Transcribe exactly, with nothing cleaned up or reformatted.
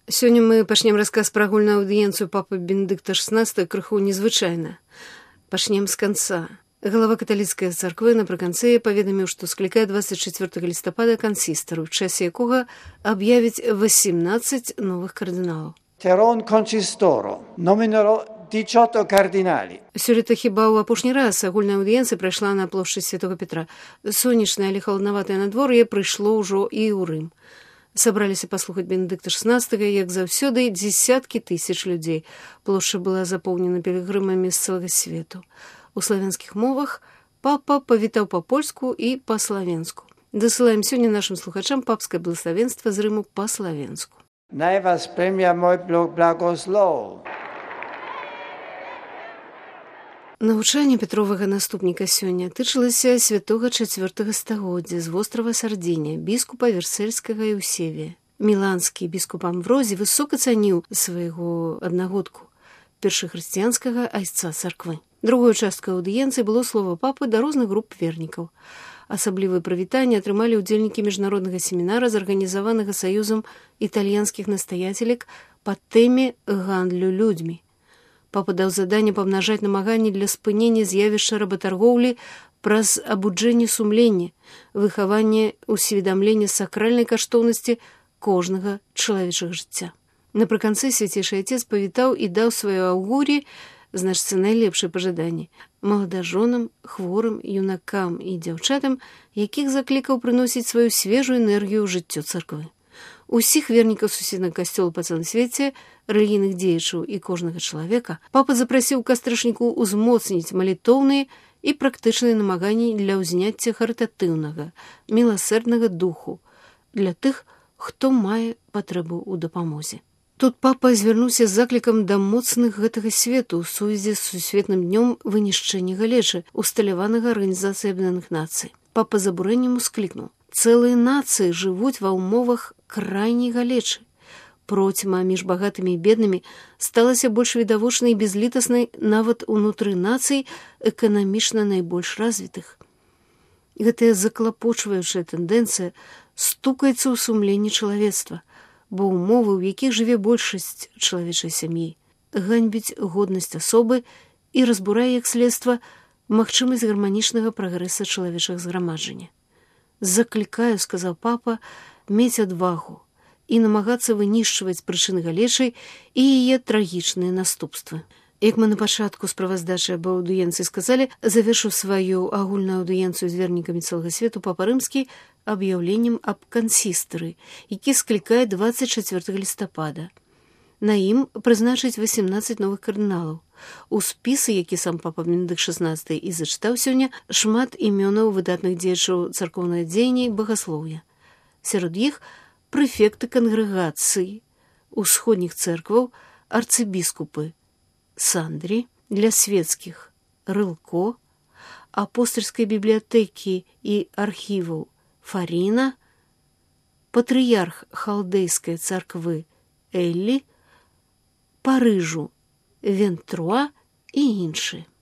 Сёння мы пачнем расказ пра агульную аўдыенцыю папы Бенедыкта шестнадцатого крыху незвычайна. Пачнем з канца. Галава каталіцкай царквы напрыканцы паведаміў, што склікае двадцать четвёртого лістапада кансістар, у часе якога аб'явіць восемнадцать новых кардыналаў. Терон консисторо номинерò diciotto кардинали. Сёлета хіба ў апошні раз агульная аўдыенцыя прайшла на плошчадь Святого Петра. Сонечнае, але халаднаватае надвор'е прыйшло ўжо і ў Рым. Сабраліся паслухаць Бенедыкта шестнадцатого, як заўсёды, дзесяткі тысяч людзей. Плошча была запоўнена пілігрымамі з цэлага свету. У славянскіх мовах папа павітаў па-польску і па-славенску. Дасылаем сёння нашым слухачам папскае благословенства з Рыму па-славенску. Най вас премя мой благослов. Навучанне Петровага наступніка сёння тычылася святога чацвёртага стагоддзя з вострава Сардзіня, біскупа Версальскага Еўсевія. Міланскі біскуп Амврозій высока цаніў свайго аднагодку, першахрысціянскага айцца царквы. Другой часткай аўдыенцыі было слова папы да розных груп вернікаў. Асаблівае прывітанне атрымалі ўдзельнікі міжнароднага семінара, зарганізаванага саюзам італьянскіх настаяцелек па тэме гандлю людзьмі. Папа даў заданне памнажаць намаганні для спынення з'явішча работаргоўлі праз абуджэнне сумлення, выхаванне усведамлення сакральнай каштоўнасці кожнага чалавечага жыцця. Напрыканцы свяцейшы айцец павітаў і даў сваё аўгур'е, значыцца, найлепшае пажаданне маладажонам, хворым, юнакам і дзяўчатам, якіх заклікаў прыносіць сваю свежую энергію ў жыццё царквы. Усіх вернікаў суседнага касцёла па цэлым свеце, рэлігійных дзеячаў і кожнага чалавека папа запрасіў кастрычніку ўзмоцніць малітоўныя і практычныя намаганні для ўзняцця харытатыўнага, міласэрднага духу для тых, хто мае патрэбу ў дапамозе. Тут папа звярнуўся з заклікам да моцных гэтага свету ў сувязі з сусветным днём вынішчэння галечы, усталяванага Арганізацыяй Аб'яднаных Нацый. Папа з абурэннем усклікнуў: цэлыя нацыі жывуць ва ўмовах крайняй галечы. Процьма між багатымі і беднымі сталася больш відавочнай і безлітаснай нават унутры нацый эканамічна найбольш развітых. Гэтая заклапочваючая тэндэнцыя стукаецца ў сумленні чалавецтва, бо ўмовы, у якіх жыве большасць чалавечай сям'і, ганьбіць годнасць асобы і разбурае, як следства, магчымасць гарманічнага прагрэса чалавечага зграмаджання. «Заклікаю, — сказаў папа, — мець адвагу і намагацца вынішчваць прычыны галечы і яе трагічныя наступствы». Як мы на пачатку справаздачы аб аўдыенцыі сказалі, завершыў сваю агульную аўдыенцыю з вернікамі цэлага свету папа Рымскі аб'яўленнем аб кансістары, які склікае двадцать четвёртого лістапада. На ім прызначыць восемнадцать новых кардыналаў. У спісы, які сам папа Бенедыкт шестнадцатый і зачытаў сёння, шмат імёнаў выдатных дзеячаў царкоўнага дзеяння і багаслоўя. Сярод іх прэфекты кангрэгацыі, усходніх цэркваў, арцыбіскупы Сандрі, для свецкіх Рылко, апостальскай бібліятэкі і архіваў Фаріна, патрыярх халдэйскай царквы Эллі, Парыжу Вентруа і іншыя.